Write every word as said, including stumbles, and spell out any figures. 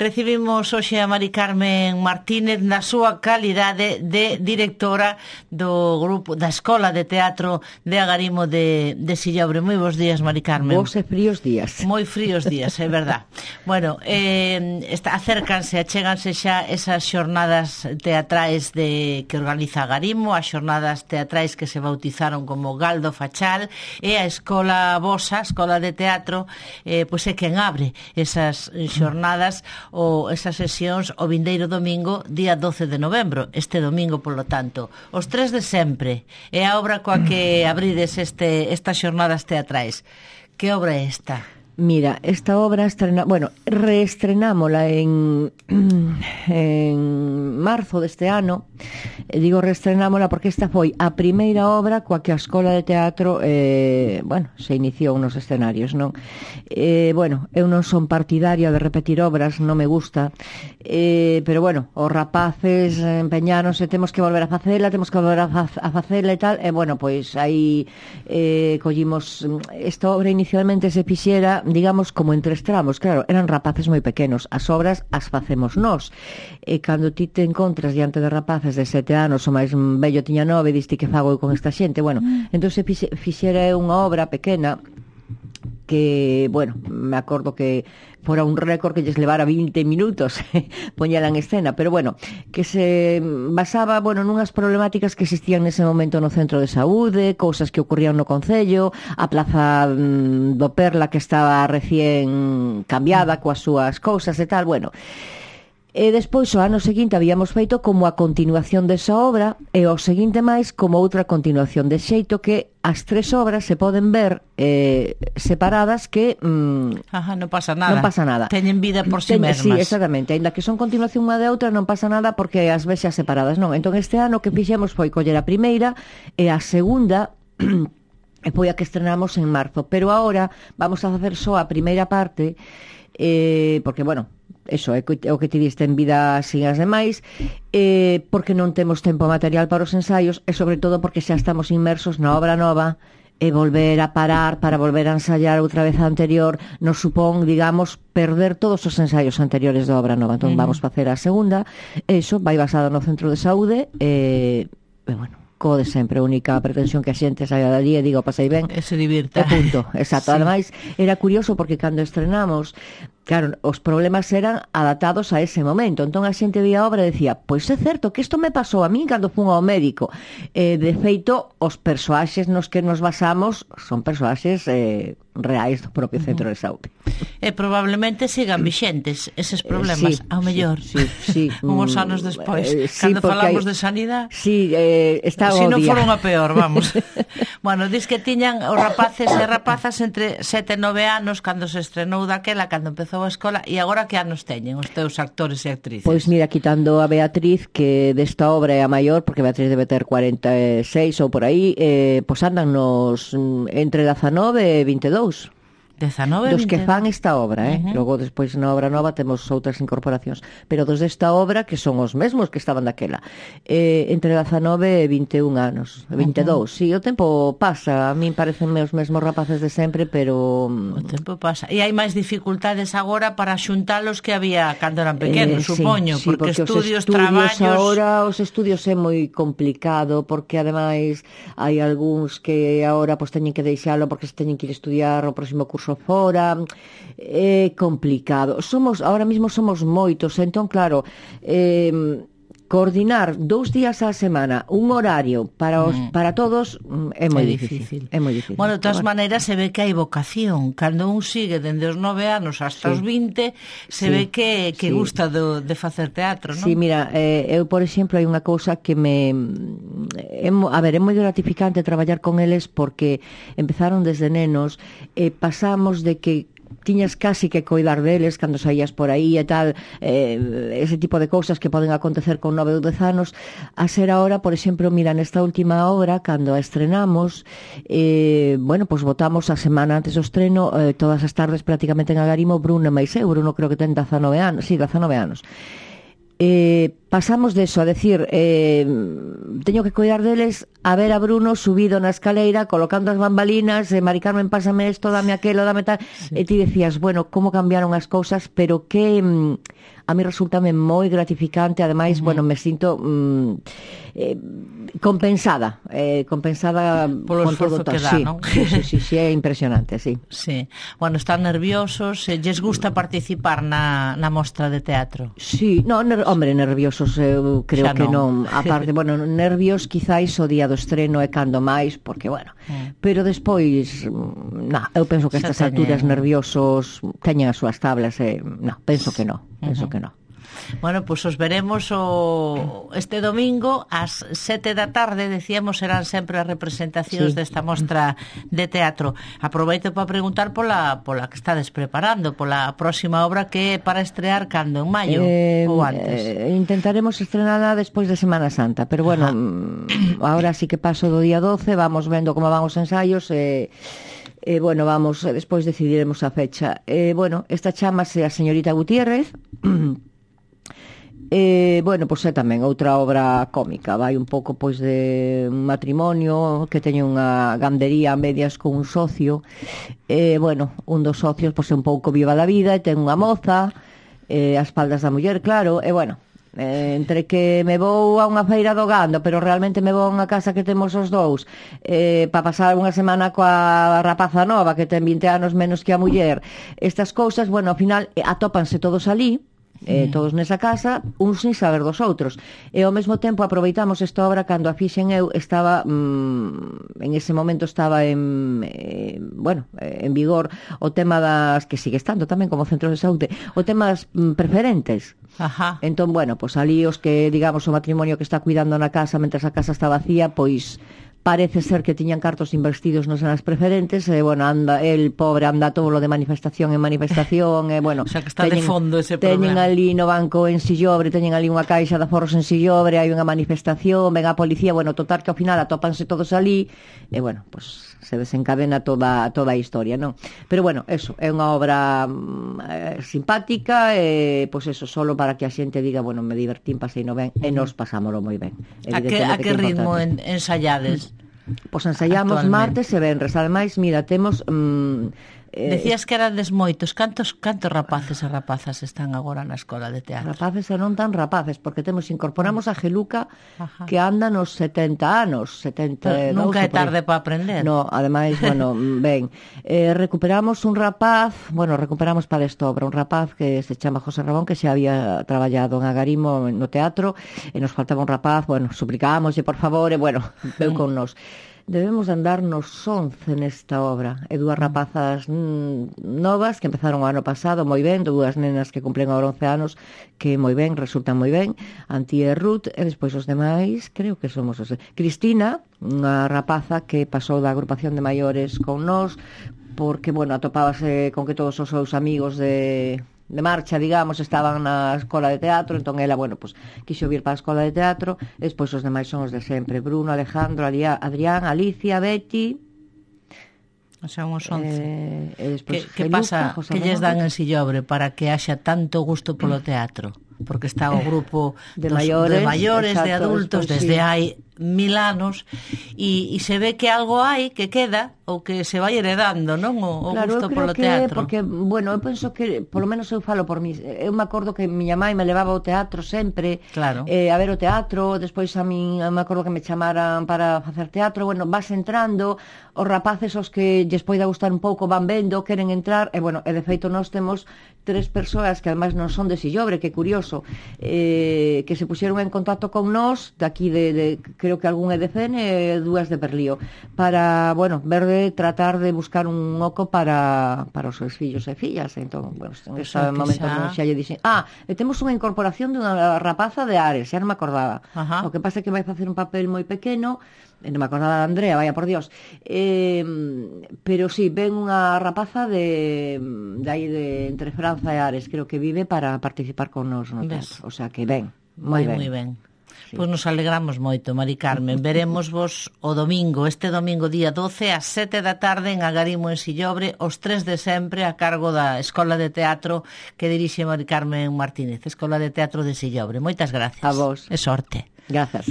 Recibimos hoxe a Mari Carmen Martínez na súa calidade de directora do grupo da Escola de Teatro de Agarimo de, de Sillobre. Moi bons días, Mari Carmen. Bos e fríos días. Moi fríos días, é verdad. Bueno, eh, está, acércanse, achéganse xa esas xornadas teatrais de que organiza Agarimo, as xornadas teatrais que se bautizaron como Galdo Fachal, e a Escola Vosa, a Escola de Teatro, eh, pois é quen abre esas xornadas ou esas sesións o vindeiro domingo, día doce de novembro, este domingo, polo tanto. Os tres de sempre. É a obra coa que abrides este, estas xornadas teatrais. Que obra é esta? Mira, esta obra estrena, bueno, reestrenámola en en marzo deste ano. E digo reestrenámola porque esta foi a primeira obra coa que a Escola de Teatro eh, bueno, se iniciou nos escenarios, non? Eh, bueno, eu non son partidaria de repetir obras, non me gusta, eh, pero bueno, os rapaces empeñáronse, temos que volver a facela, temos que volver a, fa- a facela e tal, e bueno, pois aí eh, collimos esta obra. Inicialmente se fixera, digamos, como en tres tramos. Claro, eran rapaces moi pequenos, as obras as facemos nós, e cando ti te encontras diante de rapaces de sete anos, o máis bello tiña nove, diste que fago con esta xente. Bueno, mm. entón se fixe, fixera unha obra pequena que, bueno, me acordo que fora un récord que lles levara vinte minutos poñela en escena, pero bueno, que se basaba, bueno, nunhas problemáticas que existían nese momento no centro de saúde, cousas que ocurrían no concello, a plaza do Perla que estaba recién cambiada coas súas cousas e tal, bueno. E despois, o ano seguinte, habíamos feito como a continuación desa obra, e o seguinte máis como outra continuación, de xeito que as tres obras se poden ver eh, separadas, que mm, Ajá, non pasa nada. Non pasa nada. Teñen vida por si sí mesmas. Sí, exactamente. Ainda que son continuación unha de outra, non pasa nada porque as ves xa separadas, non? Entón, este ano que fixemos foi coller a primeira e a segunda e foi a que estrenamos en marzo. Pero agora vamos a facer só a primeira parte, eh, porque, bueno, eso é o que ti diste en vida sin as demais, eh, porque non temos tempo material para os ensaios, e sobre todo porque xa estamos inmersos na obra nova, e volver a parar para volver a ensaiar outra vez a anterior nos supón, digamos, perder todos os ensaios anteriores da obra nova. Entón, uh-huh. vamos facer a segunda, e iso vai basada no centro de saúde, e, e bueno, co de sempre, a única pretensión que a xente saia dali e diga, pasei ben, e se divirta. E punto, exacto. Sí. Ademais, era curioso porque cando estrenamos, claro, os problemas eran adaptados a ese momento. Entón a xente vía a obra e decía, pois é certo que isto me pasou a mí cando fun ao médico. Eh, de feito, os persoaxes nos que nos basamos son persoaxes eh, reais do propio centro de saúde. E probablemente sigan vixentes eses problemas, eh, sí, ao mellor, sí, sí, sí. unhos anos despois, eh, sí, cando falamos hay... de sanidade. Sí, eh, está si non obvia. foron a peor, vamos. Bueno, dis que tiñan os rapaces e rapazas entre sete e nove anos cando se estrenou daquela, cando empezou a escola, e agora que anos teñen os teus actores e actrices? Pois mira, quitando a Beatriz, que desta obra é a maior, porque Beatriz debe ter cuarenta e seis ou por aí, eh, pois andan nos entre dezanove e vinte e dous. dezanove, dos que fan esta obra, eh? Uh-huh. Logo despois na obra nova temos outras incorporacións, pero dos desta obra que son os mesmos que estaban daquela, eh, entre dezanove e vinte e un anos, vinte e dous. Uh-huh. Si, sí, o tempo pasa, a min parecenme os mesmos rapaces de sempre, pero o tempo pasa. E hai máis dificultades agora para xuntalos que había cando eran pequenos, eh, supoño, sí, sí, porque, porque estudios, estudios, traballos... Agora os estudios é moi complicado, porque ademais hai algúns que agora pues, teñen que deixalo porque se teñen que ir estudiar o próximo curso fora, é complicado. Somos, ahora mismo somos moitos, entón claro, eh, coordinar dous días á semana un horario para os mm. para todos é moi é difícil. difícil. É moi difícil. Bueno, de todas bueno. maneiras se ve que hai vocación. Cando un sigue dende os nove anos hasta sí. os vinte, se sí. ve que que sí. gusta do, de facer teatro, non? Sí, mira, eh, eu por exemplo hai unha cousa que me é, a ver, é moi gratificante traballar con eles porque empezaron desde nenos e pasamos de que tiñas casi que coidar deles cando saías por aí e tal, eh, ese tipo de cousas que poden acontecer con nove ou dez anos, a ser ahora, por exemplo, mira, nesta última obra, cando a estrenamos, eh, bueno, pues votamos a semana antes do estreno, eh, todas as tardes prácticamente en Agarimo, Bruno e máis eu, Bruno creo que ten dezanove anos, sí, dezanove anos. Eh, pasamos de eso a decir eh, teño que cuidar deles a ver a Bruno subido na escaleira colocando as bambalinas, eh, Mari Carmen, pásame esto, dame aquelo, dame tal, sí. E ti decías, bueno, como cambiaron as cousas, pero que mm, a mí resultame moi gratificante, ademais, uh-huh. bueno, me sinto mm, eh, compensada eh, compensada polo esforzo que dá, sí, non? Sí, sí, sí, sí, é impresionante, sí. Sí. Bueno, están nerviosos, eh, lles gusta participar na, na mostra de teatro? Sí, no, ner- hombre, nerviosos eu creo Xa que non. non, aparte, bueno, nervios quizáis o día do estreno é cando máis, porque, bueno, mm. pero despois, na, eu penso que Xa estas teñen... alturas nerviosos teñen as súas tablas, e, eh, no, penso que non, penso uh-huh. que non. Bueno, pois pues os veremos o este domingo ás sete da tarde, decíamos, serán sempre as representacións sí. desta mostra de teatro. Aproveito para preguntar pola pola que estades preparando, pola próxima obra que é para estrear cando, en maio eh, ou antes. Eh, intentaremos estrenala despois de Semana Santa, pero bueno, Ajá. ahora sí que paso do día doce, vamos vendo como van os ensaios e eh, eh, bueno, vamos, despois decidiremos a fecha. Eh, bueno, esta chamase A señorita Gutiérrez. Eh, bueno, pois é tamén outra obra cómica, vai un pouco pois de un matrimonio que teñe unha gandería a medias con un socio, eh, bueno, un dos socios pois é un pouco viva da vida e ten unha moza eh, a espaldas da muller, claro, e bueno, eh, entre que me vou a unha feira do gando, pero realmente me vou a unha casa que temos os dous eh, para pasar unha semana coa rapaza nova que ten vinte anos menos que a muller, estas cousas, bueno, ao final eh, atópanse todos ali, Eh, todos nesa casa, uns sin saber dos outros, e ao mesmo tempo aproveitamos esta obra cando a fixen eu estaba mmm, en ese momento estaba en eh, bueno, en vigor o tema das, que sigue estando tamén como centro de saúde, o tema das mm, preferentes. Ajá. Entón, bueno, pois ali os que, digamos, o matrimonio que está cuidando na casa mentre a casa está vacía, pois parece ser que tiñan cartos investidos nas zonas preferentes, e, bueno, anda, el pobre anda todo lo de manifestación en manifestación, e, bueno, o sea, que está teñen, de fondo ese teñen problema. ali no banco en Sillobre, teñen ali unha caixa de aforros en Sillobre, hai unha manifestación, ven a policía, bueno, total que ao final atópanse todos ali, e, bueno, pues se desencadena toda, toda a historia, non? Pero, bueno, eso, é unha obra eh, simpática, e, pois eso, solo para que a xente diga, bueno, me divertín, pasei no ben, e nos pasámolo moi ben. A que, a que ritmo en, ensayades? Pois ensaiamos martes e venres. Ademais, mira, temos mm, eh, decías que eran desmoitos. Cantos, cantos rapaces e rapazas están agora na escola de teatro? Rapaces e non tan rapaces, porque temos incorporamos a Geluca, Ajá. que anda nos setenta anos, setenta e dous. Pero nunca é tarde para aprender. No, ademais, bueno, ben, eh, recuperamos un rapaz, bueno, recuperamos para esta obra un rapaz que se chama José Ramón, que xa había traballado en Agarimo no teatro, e nos faltaba un rapaz, bueno, suplicámoslle por favor, e bueno, veu con nos. Debemos andar nos once nesta obra, e dúas rapazas mm, novas que empezaron o ano pasado moi ben, dúas nenas que cumplen agora once anos que moi ben, resultan moi ben, Antía e Ruth, e despois os demais creo que somos os de... Cristina, unha rapaza que pasou da agrupación de maiores con nós porque, bueno, atopábase con que todos os seus amigos de... de marcha, digamos, estaban na escola de teatro, entón ela, bueno, pues, quixo vir para a escola de teatro, e despois os demais son os de sempre, Bruno, Alejandro, Adrián, Alicia, Betty, o sea, uns once. Eh, e despois que, que pasa, José que lles dan en Sillobre para que haxa tanto gusto polo teatro? Porque está o grupo de dos, maiores, de, maiores exacto, de adultos, despois, desde sí. hai mil anos, e, e se ve que algo hai que queda ou que se vai heredando, non? O, o claro, gusto polo que, teatro. Porque, bueno, eu penso que, polo menos eu falo por mí, eu me acordo que miña mãe me levaba ao teatro sempre, claro. eh, a ver o teatro, despois a min me acordo que me chamaran para facer teatro, bueno, vas entrando, os rapaces os que lles poida gustar un pouco van vendo, queren entrar, e bueno, e de feito nós temos tres persoas que ademais non son de Sillobre, que curioso, eh, que se puxeron en contacto con nós, daqui de, de creo que algún é de Cen e dúas de Berlío, para, bueno, ver de tratar de buscar un oco para, para os seus fillos e fillas. Entón, bueno, en ese momento xa... xa lle dixen, ah, e temos unha incorporación de unha rapaza de Ares, xa non me acordaba. Ajá. O que pasa é que vai facer un papel moi pequeno, non me acordaba de Andrea, vaya por Dios, eh, pero sí, ven unha rapaza de, de aí de entre Franza e Ares, creo que vive para participar con nos no teatro, o sea que ben, moi ben. Moi ben. sí. Pois nos alegramos moito, Mari Carmen. Veremos vos o domingo, este domingo día doce, ás sete da tarde en Agarimo en Sillobre, os tres de sempre a cargo da Escola de Teatro que dirixe Mari Carmen Martínez, Escola de Teatro de Sillobre. Moitas gracias. A vos. E sorte. Grazas.